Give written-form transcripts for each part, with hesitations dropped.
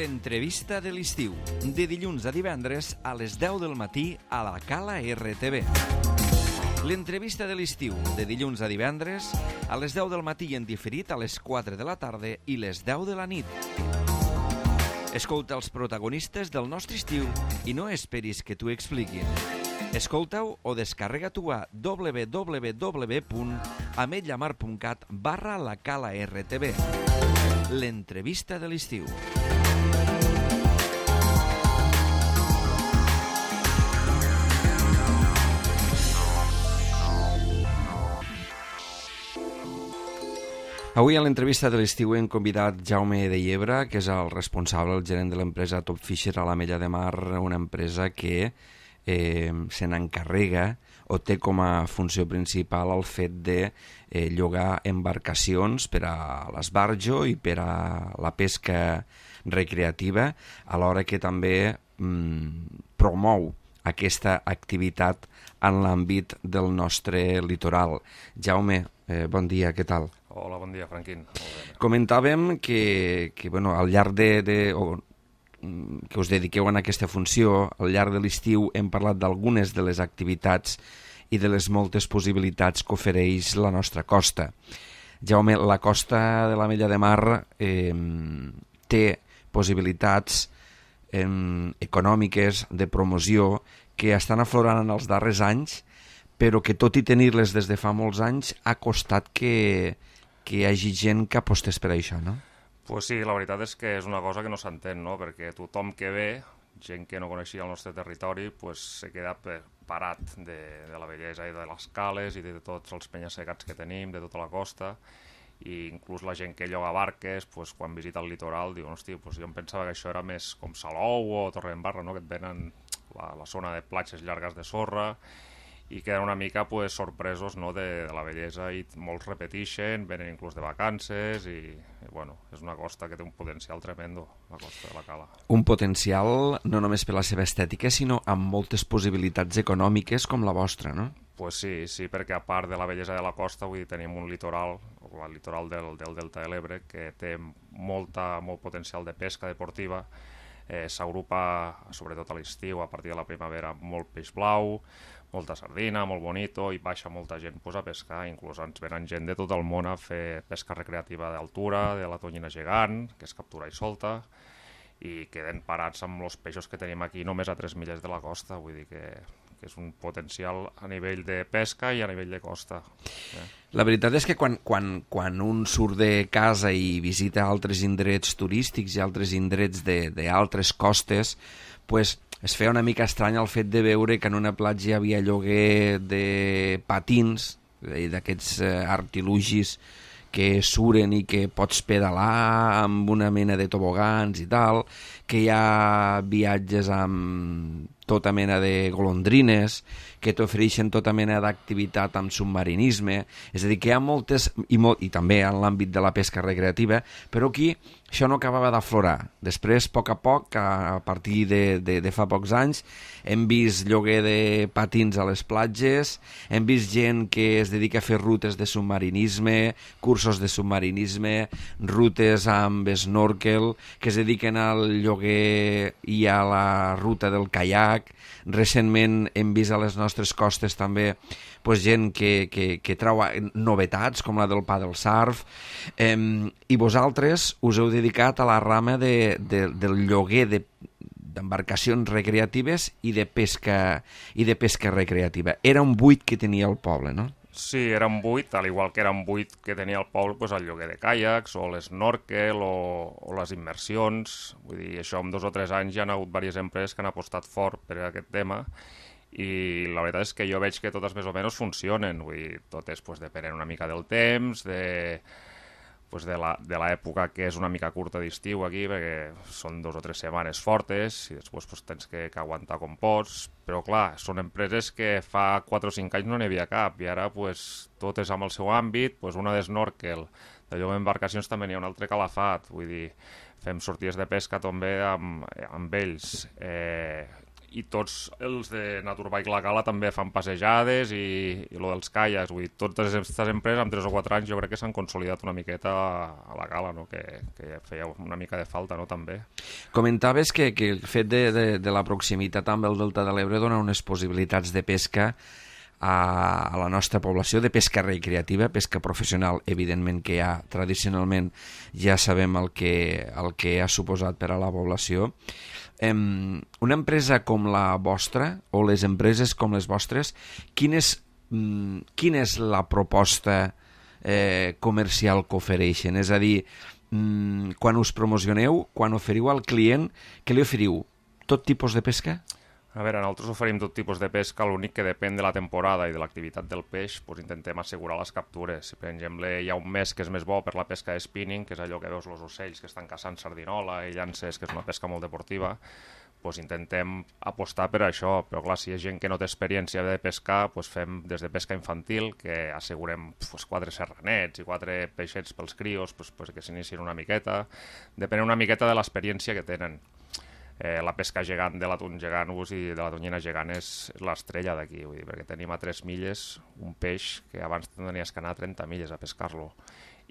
L'entrevista de l'estiu, de dilluns a divendres a les 10 del matí a la Cala RTV. L'entrevista de l'estiu, de dilluns a divendres a les 10 del matí i en diferit a les 4 de la tarda i les 10 de la nit. Escolta els protagonistes del nostre estiu i no esperis que t'ho expliquin. Escolta-ho o descarrega-t'ho a www.ametlllamar.cat/la Cala RTV. L'entrevista de l'estiu. Avui a l'entrevista de l'estiu hem convidat Jaume de Llebre, que és el responsable, el gerent de l'empresa Top Fisher a l'Ametlla de Mar, una empresa que se n'encarrega o té com a funció principal el fet de llogar embarcacions per a l'esbarjo i per a la pesca recreativa, alhora que també promou aquesta activitat en l'àmbit del nostre litoral. Jaume, bon dia, què tal? Hola, bon dia, Franquín. Comentàvem que al llarg que us dediqueu a aquesta funció, al llarg de l'estiu hem parlat d'algunes de les activitats i de les moltes possibilitats que ofereix la nostra costa. Jaume, la costa de l'Ametlla de Mar té possibilitats econòmiques de promoció que estan aflorant en els darrers anys, però que tot i tenir-les des de fa molts anys ha costat que hi hagi gent que apostés per això, no? Pues sí, la veritat és que és una cosa que no s'entén, no? Perquè tothom que ve, gent que no coneixia el nostre territori, pues se queda parat de la bellesa i de les cales i de tots els penya-segats que tenim, de tota la costa, i inclús la gent que lloga barques, pues, quan visita el litoral, diuen, hosti, pues jo em pensava que això era més com Salou o Torredembarra, no? Que et venen la zona de platges llargues de sorra, i queden una mica pues, sorpresos, no, de la bellesa, i molts repeteixen, venen inclús de vacances i bueno, és una costa que té un potencial tremendo, la costa de la Cala. Un potencial no només per la seva estètica, sinó amb moltes possibilitats econòmiques com la vostra, no? Pues sí, perquè a part de la bellesa de la costa, vull dir, tenim un litoral, el litoral del Delta de l'Ebre, que té molt potencial de pesca deportiva. S'agrupa, sobretot a l'estiu, a partir de la primavera, molt peix blau, molta sardina, molt bonito, i baixa molta gent a pescar, inclús ens venen gent de tot el món a fer pesca recreativa d'altura, de la tonyina gegant, que és captura i solta, i queden parats amb els peixos que tenim aquí només a 3 milles de la costa, vull dir que és un potencial a nivell de pesca i a nivell de costa. La veritat és que quan un surt de casa i visita altres indrets turístics i altres indrets d'altres costes, pues, es feia una mica estrany el fet de veure que en una platja hi havia lloguer de patins, d'aquests artilugis que suren i que pots pedalar amb una mena de tobogans i tal, que hi ha viatges amb tota mena de golondrines, que t'ofereixen tota mena d'activitat amb submarinisme, és a dir, que hi ha moltes, i també en l'àmbit de la pesca recreativa, però aquí això no acabava d'aflorar. Després, a poc, a partir de fa pocs anys, hem vist lloguer de patins a les platges, hem vist gent que es dedica a fer rutes de submarinisme, cursos de submarinisme, rutes amb snorkel, que es dediquen al lloguer i a la ruta del caiac. Recentment hem vist a les nostres costes també pues, gent que trau novetats com la del paddle surf, i vosaltres us heu dedicat a la rama del lloguer d'embarcacions recreatives i de pesca recreativa. Era un buit que tenia el poble, no? Sí, era un buit, al igual que era un buit que tenia el poble, pues, el lloguer de caiacs o l'esnorkel o les immersions. Vull dir, això en 2 o 3 anys hi ha hagut diverses empreses que han apostat fort per aquest tema, i la veritat és que jo veig que totes més o menys funcionen. Vull dir, tot és pues, depenent una mica del temps, de l'època, que és una mica curta d'estiu aquí, perquè són 2 o 3 setmanes fortes i després pues, tens que aguantar com pots, però clar, són empreses que fa 4 o 5 anys no n'hi havia cap, i ara pues, tot és amb el seu àmbit, pues, una d'esnorkel, de lloguer d'embarcacions també n'hi ha un altre calafat, vull dir, fem sortides de pesca també amb ells, i tots els de Naturbike La Cala també fan passejades i lo dels caiacs, vull dir, totes aquestes empreses amb 3 o 4 anys jo crec que s'han consolidat una miqueta a La Cala, no? que feia una mica de falta, no? També. Comentaves que el fet de la proximitat amb el Delta de l'Ebre dona unes possibilitats de pesca a la nostra població, de pesca recreativa, pesca professional, evidentment que tradicionalment ja sabem el que ha suposat per a la població. Una empresa com la vostra, o les empreses com les vostres, quina és la proposta comercial que ofereixen? És a dir, quan us promocioneu, quan oferiu al client, què li oferiu? Tot tipus de pesca? A veure, nosaltres oferim tot tipus de pesca, l'únic que depèn de la temporada i de l'activitat del peix, doncs intentem assegurar les captures. Si, per exemple, hi ha un mes que és més bo per la pesca de spinning, que és allò que veus els ocells que estan caçant sardinola i llances, que és una pesca molt deportiva, doncs intentem apostar per això. Però clar, si hi ha gent que no té experiència de pescar, doncs fem des de pesca infantil, que assegurem 4 serranets i 4 peixets pels crios, doncs que s'inicien una miqueta. Depèn una miqueta de l'experiència que tenen. La pesca gegant de l'atún gegant i de la tonyina gegant és l'estrella d'aquí, perquè tenim a 3 milles un peix que abans tenies que anar a 30 milles a pescar-lo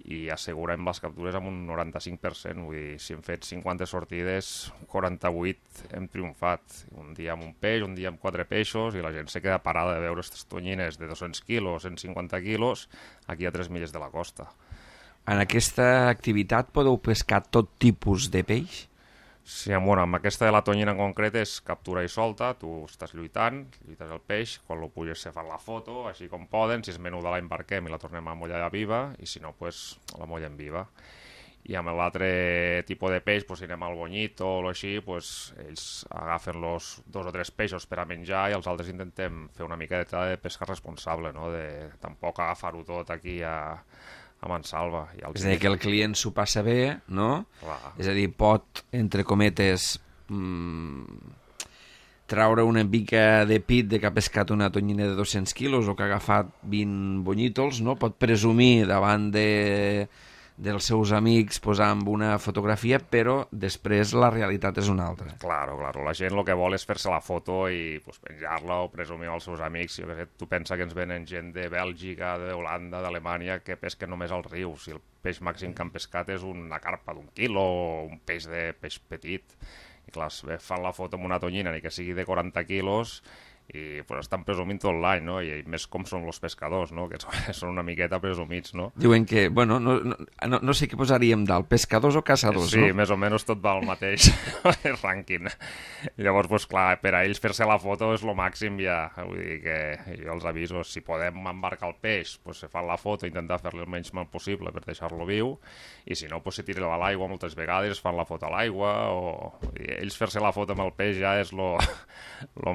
i assegurem les captures amb un 95%, vull dir, si hem fet 50 sortides, 48 hem triomfat, un dia amb un peix, un dia amb 4 peixos, i la gent se queda parada de veure aquestes tonyines de 200 quilos, 150 quilos, aquí a 3 milles de la costa. En aquesta activitat podeu pescar tot tipus de peix? Sí, bueno, amb aquesta de la tonyina en concret és captura i solta, tu estàs lluites el peix, quan lo puges se fan la foto, així com poden, si és menuda la embarquem i la tornem a mollar viva, i si no, pues, la mollem viva. I amb l'altre tipus de peix, pues, si anem al bonyito o així, pues, ells agafen los 2 o 3 peixos per a menjar i els altres intentem fer una miqueta de pesca responsable, no? De tampoc agafar-ho tot aquí a mansalva. És a dir, que el client s'ho passa bé, no? Clar. És a dir, pot, entre cometes, traure una mica de pit de que ha pescat una tonyina de 200 quilos o que ha agafat 20 bonyitos, no? Pot presumir davant dels seus amics posant una fotografia, però després la realitat és una altra. Claro, la gent el que vol és fer-se la foto i pues, penjar-la o presumir als seus amics. Jo, tu pensa que ens venen gent de Bèlgica, d'Holanda, d'Alemanya, que pesquen només al riu. Si el peix màxim que han pescat és una carpa d'1 quilo o un peix petit. I clar, fan la foto amb una tonyina, ni que sigui de 40 quilos, i pues, estan presumint tot l'any, no? I més com són els pescadors, no? Que són una miqueta presumits, no? Diuen que, bueno, no sé què posaríem dalt, pescadors o caçadors, sí, no? Sí, més o menys tot va al mateix rànquing. Llavors, pues, clar, per a ells fer-se la foto és lo màxim ja. Vull dir que jo els aviso, si podem embarcar el peix, pues, se fa la foto, intentar fer-li el menys mal possible per deixar-lo viu, i si no, pues, se tira a l'aigua moltes vegades, fan la foto a l'aigua, o ells fer-se la foto amb el peix ja és lo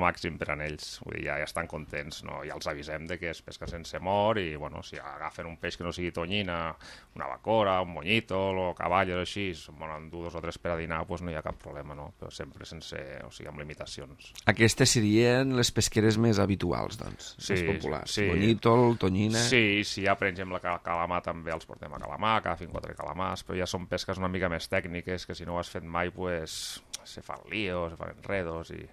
màxim per a ells. Vull dir, ja estan contents, no? Ja els avisem de que es pesca sense mort i, bueno, si agafen un peix que no sigui tonyina, una bacora, un monyito o cavall o així, bueno, en 2 o 3 per a dinar, pues no hi ha cap problema, no? Però sempre amb limitacions. Aquestes serien les pesqueres més habituals, doncs, més populars. Sí. Bonyítol, tonyina... Sí, ja, per exemple, calamar també els portem a calamar, agafin 4 calamars, però ja són pesques una mica més tècniques, que si no ho has fet mai, pues, se fan líos, se fan enredos i...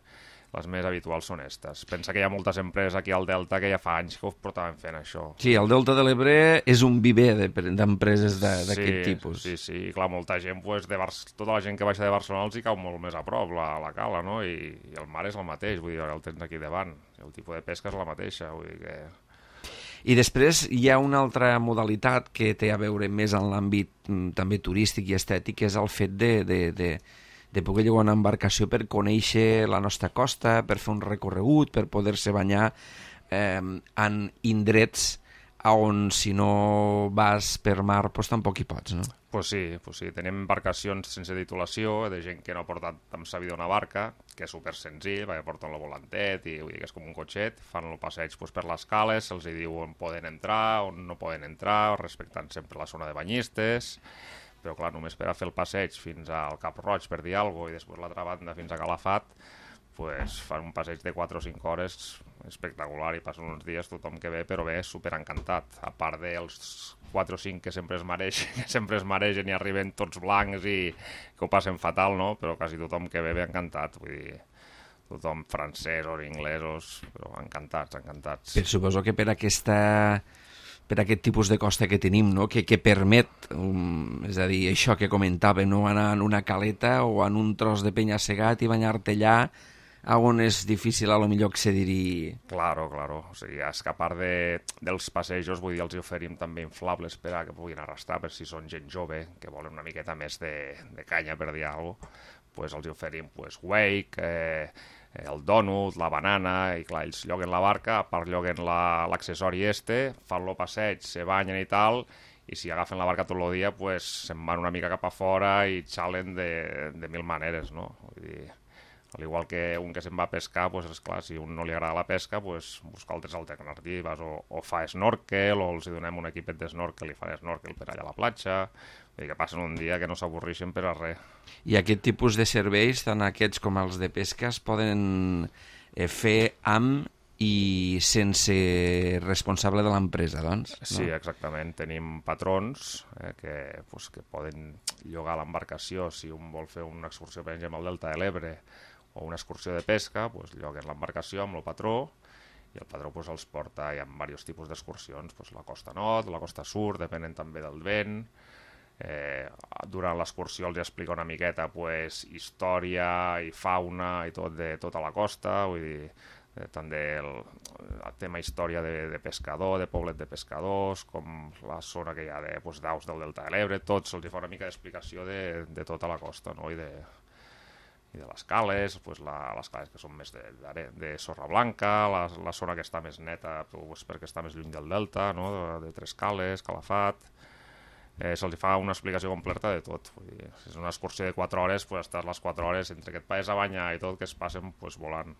Les més habituals són aquestes. Pensa que hi ha moltes empreses aquí al Delta que ja fa anys que ho portaven fent això. Sí, el Delta de l'Ebre és un viver d'empreses d'aquest tipus. Sí, clar, molta gent, pues, tota la gent que baixa de Barcelona els hi cau molt més a prop, la cala, no? I el mar és el mateix, vull dir, el tens aquí davant. El tipus de pesca és la mateixa, vull dir que... I després hi ha una altra modalitat que té a veure més en l'àmbit també turístic i estètic, que és el fet de poder llogar una embarcació per conèixer la nostra costa, per fer un recorregut, per poder-se banyar en indrets on si no vas per mar doncs tampoc hi pots, no? Pues sí, tenim embarcacions sense titulació, de gent que no ha portat amb sa vida una barca, que és super senzill, perquè porten el volantet i vull dir que és com un cotxet, fan el passeig pues, per les cales, se'ls diu on poden entrar, on no poden entrar, respectant sempre la zona de banyistes, però clar, només per a fer el passeig fins al Cap Roig, per dir alguna cosa, i després l'altra banda fins a Calafat, pues, fan un passeig de 4 o 5 hores espectacular i passen uns dies tothom que ve, però ve superencantat, a part dels 4 o 5 que sempre es maregen i arriben tots blancs i que ho passen fatal, no? Però quasi tothom que ve encantat, vull dir, tothom francesos, inglesos, però encantats. Però suposo que per aquest tipus de costa que tenim, no? que permet, és a dir, això que comentàvem, no? Anar en una caleta o en un tros de penya-segat i banyar-te allà, on és difícil a lo millor accedir-hi. Claro. O sigui, és que a part dels passejos, vull dir, els oferim també inflables per a que puguin arrastrar, per si són gent jove, que volen una miqueta més de canya, per dir alguna cosa, pues els oferim wake, el donut, la banana, i clar, ells lloguen la barca, a part lloguen l'accessori fan lo passeig, se banyen i tal, i si agafen la barca tot el dia, pues se'n van una mica cap a fora i xalen de mil maneres, no? Vull dir, al igual que un que se'n va a pescar, pues, esclar, si a un no li agrada la pesca, pues, busca altres alternatives, o fa snorkel, o els donem un equipet de snorkel i fan snorkel per allà a la platja, vull dir que passen un dia que no s'avorreixen per a res. I aquest tipus de serveis, tant aquests com els de pesca, es poden fer amb i sense responsable de l'empresa, doncs? No? Sí, exactament. Tenim patrons que poden llogar l'embarcació si un vol fer una excursió, per exemple, al Delta de l'Ebre, o una excursió de pesca, pues, lloguen l'embarcació amb el patró, i el patró pues, els porta, hi ha diversos tipus d'excursions, pues, la costa nord, la costa sud, depenent també del vent. Durant l'excursió els explica una miqueta pues, història i fauna i tot de tota la costa, vull dir, tant del tema història de pescador, de poblet de pescadors, com la zona que hi ha d'aus del Delta de l'Ebre, tots se'ls fa una mica d'explicació de tota la costa, no? I de les cales, pues les cales que són més de sorra blanca, la zona que està més neta pues, perquè està més lluny del delta, no? de Tres Cales, Calafat. Se'ls fa una explicació completa de tot. Vull dir, si és una excursió de 4 hores, pues, estàs les 4 hores entre que et pares a banyar i tot, que es passen pues, volant.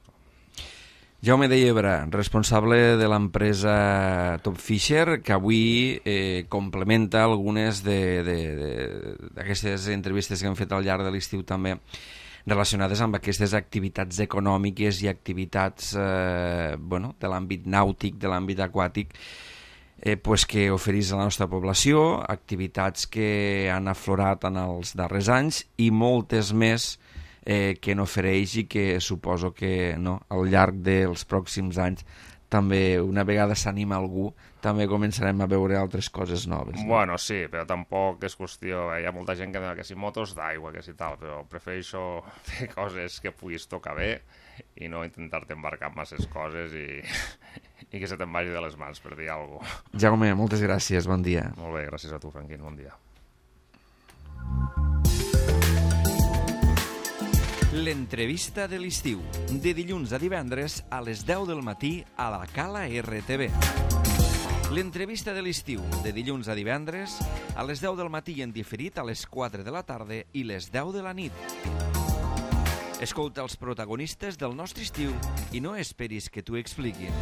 Jaume de Llebre, responsable de l'empresa Top Fisher, que avui complementa algunes d'aquestes entrevistes que hem fet al llarg de l'estiu també, relacionades amb aquestes activitats econòmiques i activitats de l'àmbit nàutic, de l'àmbit aquàtic, que oferís a la nostra població, activitats que han aflorat en els darrers anys i moltes més que n'ofereix i que suposo que al llarg dels pròxims anys també, una vegada s'anima algú, també començarem a veure altres coses noves. No? Bueno, sí, però tampoc és qüestió... Hi ha molta gent que si motos d'aigua, que si tal, però prefereixo fer coses que puguis tocar bé i no intentar-te embarcar en masses coses i que se te'n vagi de les mans, per dir alguna cosa. Jaume, moltes gràcies, bon dia. Molt bé, gràcies a tu, Franquín, bon dia. L'entrevista de l'estiu, de dilluns a divendres a les 10 del matí a la Cala RTV. L'entrevista de l'estiu, de dilluns a divendres a les 10 del matí en diferit a les 4 de la tarda i les 10 de la nit. Escolta els protagonistes del nostre estiu i no esperis que t'ho expliquin.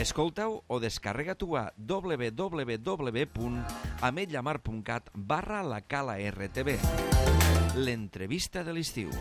Escolta-ho o descarrega-t'ho a www.ametlllamar.cat/la Cala RTV. L'entrevista de l'estiu.